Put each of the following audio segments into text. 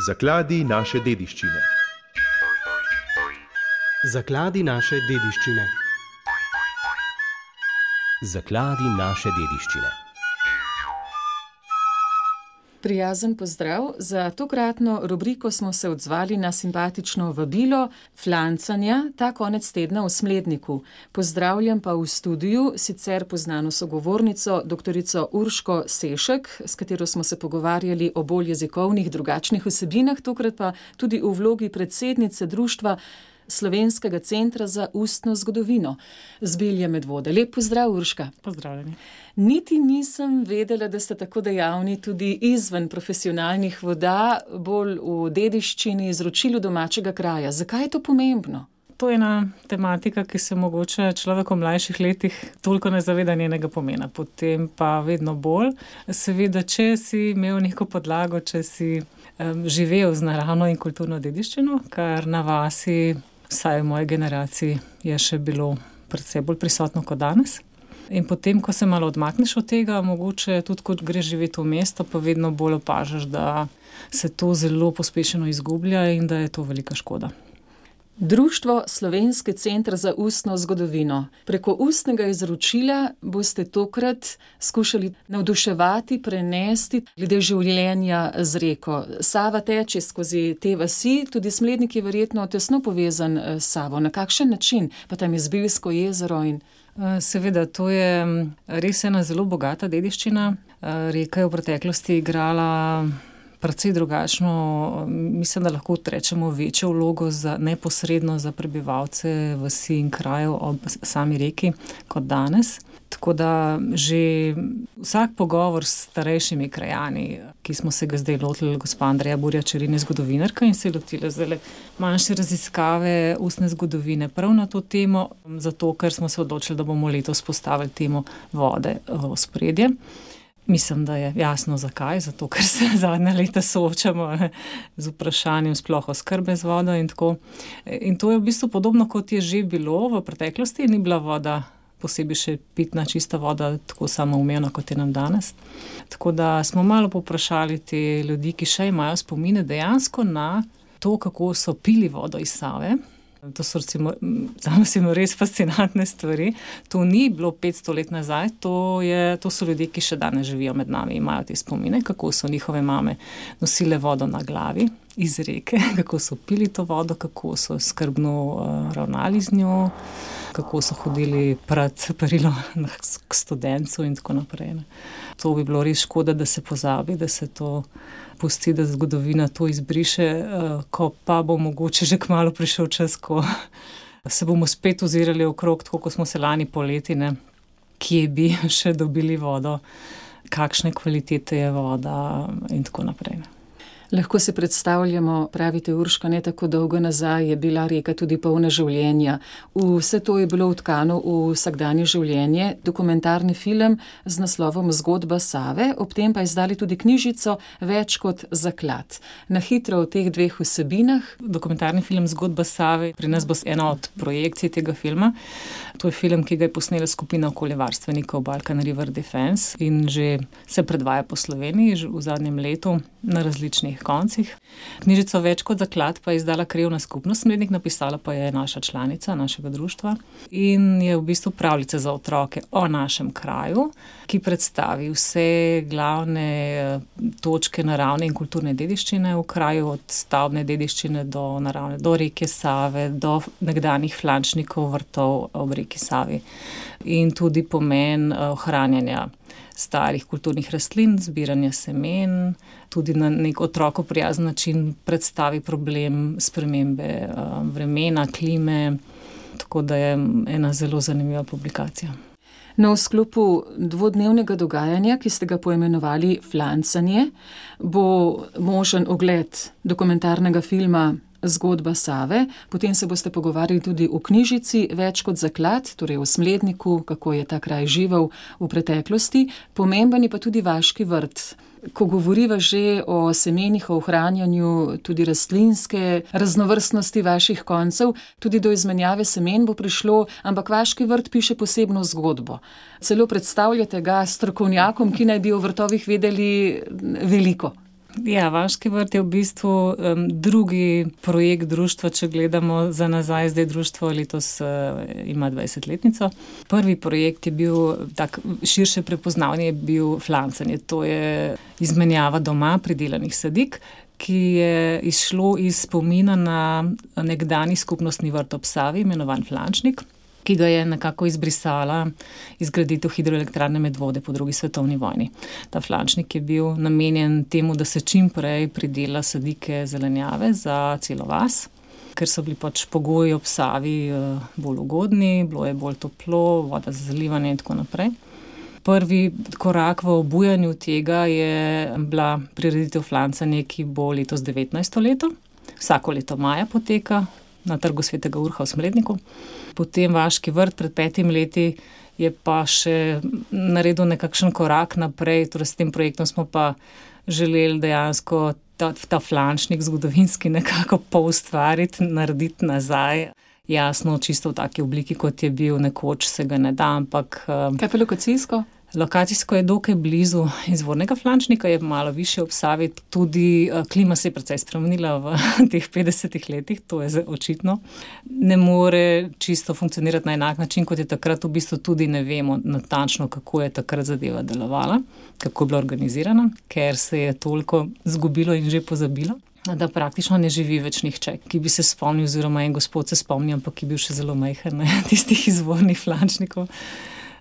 Zakladi naše dediščine. Zakladi naše dediščine. Zakladi naše dediščine. Prijazen pozdrav. Za tokratno rubriko smo se odzvali na simpatično vabilo flancanja ta konec tedna v Smledniku. Pozdravljam pa v studiu sicer poznano sogovornico, doktorico Urško Sešek, s katero smo se pogovarjali o bolj jezikovnih, drugačnih vsebinah, tokrat pa tudi v vlogi predsednice Društva Slovenskega centra za ustno zgodovino. Zbilja Medvode. Lep pozdrav, Urška. Pozdravljeni. Niti nisem vedela, da ste tako dejavni tudi izven profesionalnih voda, bolj v dediščini, izročilu domačega kraja. Zakaj je to pomembno? To je ena tematika, ki se mogoče človek v mlajših letih toliko ne zaveda njenega pomena. Potem pa vedno bolj. Seveda, če si imel neko podlago, če si živel z naravno in kulturno dediščino, kar na vasi, vsaj v moji generaciji, je še bilo predvsej bolj prisotno kot danes. In potem, ko se malo odmakneš od tega, mogoče tudi kot greš živeti v mesto, pa vedno bolj opažaš, da se to zelo pospešeno izgublja in da je to velika škoda. Društvo Slovenski center za ustno zgodovino. Preko ustnega izročila boste tokrat skušali navduševati, prenesti glede življenja z reko. Sava teče skozi te vasi, tudi Smlednik je verjetno tesno povezan s Savo. Na kakšen način? Pa tam je Zbiljsko jezero in... Seveda, to je res ena zelo bogata dediščina. Reka je v preteklosti igrala precej drugačno, mislim, da lahko rečemo večjo vlogo neposredno za prebivalce vasi in krajev ob sami reki kot danes. Tako da že vsak pogovor s starejšimi krajani, ki smo se ga zdaj lotili, gospa Andreja Burja-Čerin je zgodovinarka in se je lotila zdaj manjše raziskave ustne zgodovine prav na to temo, zato ker smo se odločili, da bomo letos postavili temo vode v ospredje. Mislim, da je jasno zakaj, zato ker se zadnja leta soočamo z vprašanjem sploh oskrbe z vodo in tako. In to je v bistvu podobno, kot je že bilo v preteklosti, ni bila voda posebej še pitna, čista voda, tako samoumevna, kot je nam danes. Tako da smo malo povprašali te ljudi, ki še imajo spomine dejansko na to, kako so pili vodo iz Save. To so recimo res fascinantne stvari. To ni bilo 500 let nazaj, to so ljudje, ki še danes živijo med nami, imajo te spomine, kako so njihove mame nosile vodo na glavi iz reke, kako so pili to vodo, kako so skrbno ravnali z njo, kako so hodili pred perilo k studencu in tako naprej. To bi bilo res škoda, da se pozabi, da se to pusti, da zgodovina to izbriše, ko pa bo mogoče že kmalu prišel čas, ko se bomo spet ozirali okrog, tako kot smo se lani poleti, kje bi še dobili vodo, kakšne kvalitete je voda in tako naprej. Lahko si predstavljamo, pravite Urška, ne tako dolgo nazaj je bila reka tudi polna življenja. Vse to je bilo vtkano v vsakdanje življenje. Dokumentarni film z naslovom Zgodba Save, ob tem pa izdali tudi knjižico Več kot zaklad. Na hitro o teh dveh vsebinah. Dokumentarni film Zgodba Save, pri nas bo ena od projekcij tega filma. To je film, ki ga je posnela skupina okoljevarstvenikov Balkan River Defense in že se predvaja po Sloveniji v zadnjem letu na različnih koncih. Knjižico Več kot zaklad pa je izdala Krajevna skupnost Smlednik, napisala pa je naša članica našega društva in je v bistvu pravljica za otroke o našem kraju, ki predstavi vse glavne točke naravne in kulturne dediščine v kraju, od stavbne dediščine do reke Save, do nekdanjih flančnikov vrtov ob reki Savi in tudi pomen ohranjanja starih kulturnih rastlin, zbiranja semen, tudi na nek otroku prijazen način predstavi problem spremembe vremena, klime, tako da je ena zelo zanimiva publikacija. V sklopu dvodnevnega dogajanja, ki ste ga poimenovali Flancanje, bo možen ogled dokumentarnega filma Zgodba Save, potem se boste pogovarjali tudi o knjižici Več kot zaklad, torej o Smledniku, kako je ta kraj živel v preteklosti. Pomemben je pa tudi vaški vrt. Ko govoriva že o semenih, o ohranjanju tudi rastlinske raznovrstnosti vaših koncev, tudi do izmenjave semen bo prišlo, ampak vaški vrt piše posebno zgodbo. Celo predstavljate ga strokovnjakom, ki naj bi o vrtovih vedeli veliko. Ja, Vaški vrt je v bistvu drugi projekt društva, če gledamo za nazaj. Zdaj društvo letos ima 20-letnico. Prvi projekt je bil, tak širše prepoznavanje je bil flancanje. To je izmenjava doma pridelanih sadik, ki je izšlo iz spomina na nekdanji skupnostni vrt ob Savi, imenovan Flančnik, ki ga je nekako izbrisala izgraditev hidroelektrarne Medvode po drugi svetovni vojni. Ta flančnik je bil namenjen temu, da se čim prej pridela sadike zelenjave za celo vas, ker so bili pač pogoji ob Savi bolj ugodni, bilo je bolj toplo, voda za zalivanje in tako naprej. Prvi korak v obujanju tega je bila prireditev flancanja, ki bo letos 19. leto. Vsako leto maja poteka na Trgu Svetega Urha v Smledniku. Potem Vaški vrt pred 5 leti je pa še naredil nekakšen korak naprej, torej s tem projektom smo pa želeli dejansko ta flančnik zgodovinski nekako poustvariti, narediti nazaj. Jasno, čisto v taki obliki, kot je bil nekoč, se ga ne da, ampak... Kaj pa lokacijsko? Lokacijsko je dokaj blizu izvornega flančnika, je malo višje ob Savi, tudi klima se je precej spremenila v teh 50 letih, to je očitno. Ne more čisto funkcionirati na enak način, kot je takrat, v bistvu tudi ne vemo natančno, kako je takrat zadeva delovala, kako je bila organizirana, ker se je toliko zgubilo in že pozabilo, da praktično ne živi več nihče, ki bi se spomnil, oziroma en gospod se spomni, ampak ki je bil še zelo majhen, tistih izvornih flančnikov.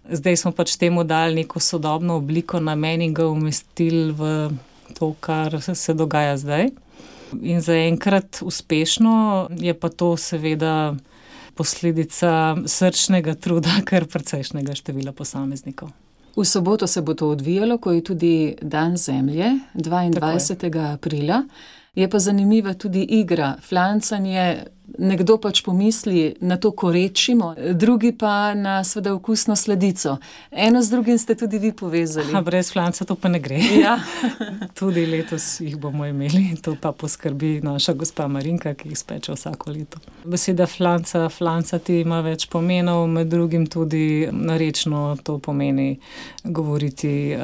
Zdaj smo pač temu dali neko sodobno obliko namen in ga umestili v to, kar se dogaja zdaj. In zaenkrat uspešno, je pa to seveda posledica srčnega truda, kar precejšnjega števila posameznikov. V soboto se bo to odvijalo, ko je tudi Dan Zemlje, 22. aprila. Je pa zanimiva tudi igra, flancanje. Nekdo pač pomisli na to, ko rečimo, drugi pa na seveda okusno sladico. Eno z drugim ste tudi vi povezali. Brez flanca to pa ne gre. Ja. Tudi letos jih bomo imeli, to pa poskrbi naša gospa Marinka, ki jih speče vsako leto. Beseda flancati ima več pomenov, med drugim tudi narečno to pomeni govoriti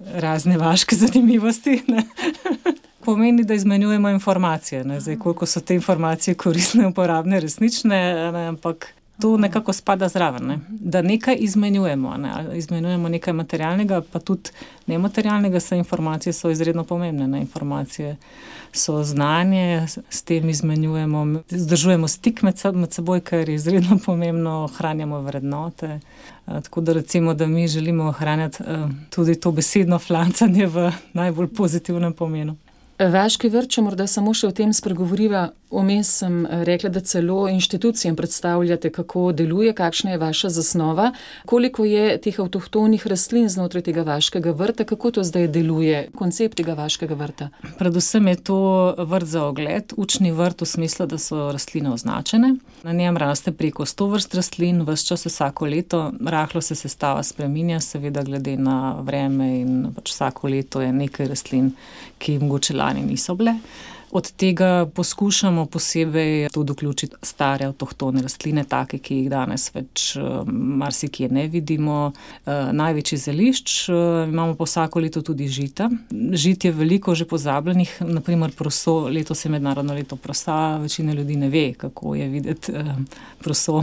razne vaške zanimivosti, ne? Pomeni, da izmenjujemo informacije, ne? Zdaj, koliko so te informacije koristne, uporabne, resnične, ne? Ampak to nekako spada zraven, ne? Da nekaj izmenjujemo, ne? Izmenjujemo nekaj materialnega, pa tudi nematerialnega, saj informacije so izredno pomembne, ne? Informacije so znanje, s tem izmenjujemo, zdržujemo stik med seboj, kar je izredno pomembno, ohranjamo vrednote. Tako da recimo, da mi želimo ohranjati tudi to besedno flancanje v najbolj pozitivnem pomenu. Vaški vrt, če morda samo še o tem spregovoriva, vmes sem rekla, da celo inštitucijam predstavljate, kako deluje, kakšna je vaša zasnova, koliko je teh avtohtonih rastlin znotraj tega vaškega vrta, kako to zdaj deluje, koncept tega vaškega vrta? Predvsem je to vrt za ogled, učni vrt v smislu, da so rastline označene. Na njem raste preko 100 vrst rastlin, ves čas vsako leto, rahlo se sestava spreminja, seveda glede na vreme in pač vsako leto je nekaj rastlin, ki mogoče lani niso bile. Od tega poskušamo posebej tudi vključiti stare avtohtone rastline, take, ki jih danes več marsikje ne vidimo. Največji zelišč, imamo pa vsako leto tudi žita. Žit je veliko že pozabljenih, naprimer proso, letos je mednarodno leto prosa, večina ljudi ne ve, kako je videti proso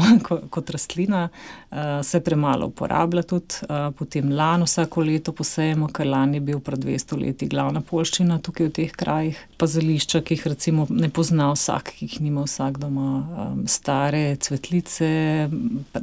kot rastlina, se premalo uporablja tudi. Potem lan vsako leto posejemo, ker lan je bil pred 200 leti glavna poljščina tukaj v teh krajih, pa zelišča, ki jih recimo ne pozna vsak, ki jih nima vsak doma. Stare cvetlice,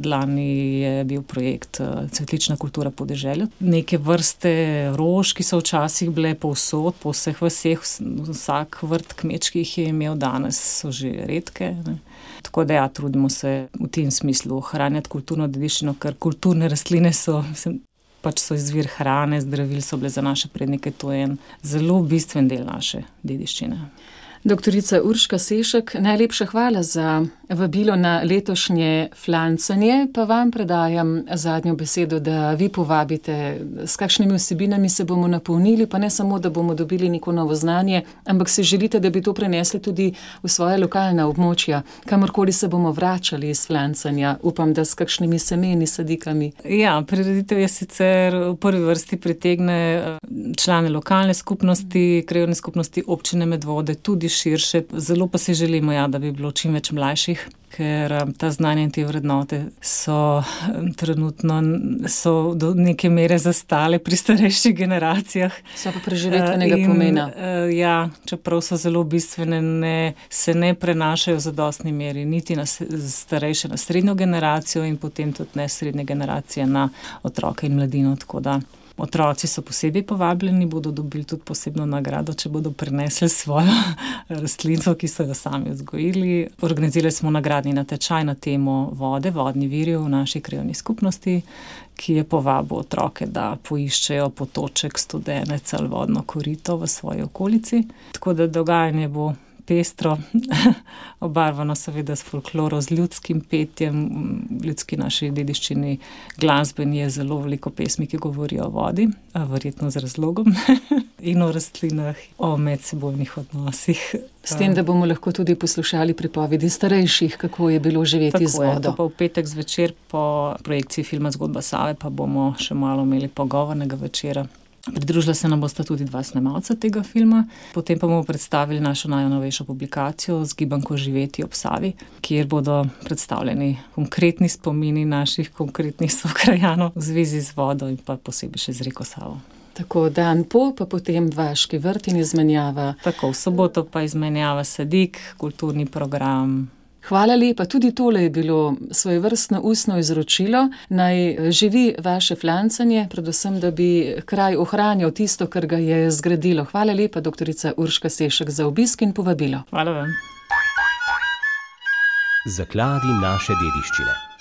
lani je bil projekt Cvetlična kultura podeželja. Neke vrste rož, ki so včasih bile povsod, po vseh vaseh, vsak vrt kmečki jih je imel, danes so že redke, ne. Tako da ja, trudimo se v tem smislu ohranjati kulturno dediščino, ker kulturne rastline so izvir hrane, zdravil so bile za naše prednike, to je en zelo bistven del naše dediščine. Doktorica Urška Sešek, najlepša hvala za vabilo na letošnje flancanje, pa vam predajam zadnjo besedo, da vi povabite, s kakšnimi vsebinami se bomo napolnili, pa ne samo, da bomo dobili neko novo znanje, ampak si želite, da bi to prenesli tudi v svoje lokalna območja, kamorkoli se bomo vračali iz flancanja, upam, da s kakšnimi semeni, sadikami. Ja, prireditev je sicer v prvi vrsti pritegne člane lokalne skupnosti, krajevne skupnosti občine Medvode, tudi širše. Zelo pa si želimo, da bi bilo čim več mlajših, ker ta znanja in te vrednote so trenutno do neke mere zastale pri starejših generacijah. So pa preživetvenega pomena. Ja, čeprav so zelo bistvene, se ne prenašajo v zadostni meri, niti na starejše, na srednjo generacijo in potem tudi ne srednje generacije na otroke in mladino, tako da otroci so posebej povabljeni, bodo dobili tudi posebno nagrado, če bodo prinesli svojo rastlinico, ki so jo sami vzgojili. Organizirali smo nagradni natečaj na temo vode, vodni viri v naši krajevni skupnosti, ki je povabil otroke, da poiščejo potoček, studenec ali vodno korito v svoji okolici. Tako da dogajanje bo pestro, obarvano seveda s folkloro, z ljudskim petjem, ljudski naši dediščini glasbeni je zelo veliko pesmi, ki govorijo o vodi, verjetno z razlogom, in o rastlinah, o medsebojnih odnosih. S tem, da bomo lahko tudi poslušali pripovedi starejših, kako je bilo živeti z vodo. Tako je, v petek zvečer po projekciji filma Zgodba Save pa bomo še malo imeli pogovornega večera. Pridružila se nam bosta tudi 2 snemalca tega filma, potem pa bomo predstavili našo najnovejšo publikacijo z gibanko Živeti ob Savi, kjer bodo predstavljeni konkretni spomini naših konkretnih sokrajanov v zvezi z vodo in pa posebej še z reko Savo. Tako, dan po, pa potem vaški vrt in izmenjava. Tako, v soboto pa izmenjava sadik, kulturni program. Hvala lepa, tudi tole je bilo svojevrstno ustno izročilo. Naj živi vaše flancanje, predvsem, da bi kraj ohranjal tisto, kar ga je zgradilo. Hvala lepa, doktorica Urška Sešek, za obisk in povabilo. Hvala vam. Zakladi naše dediščine.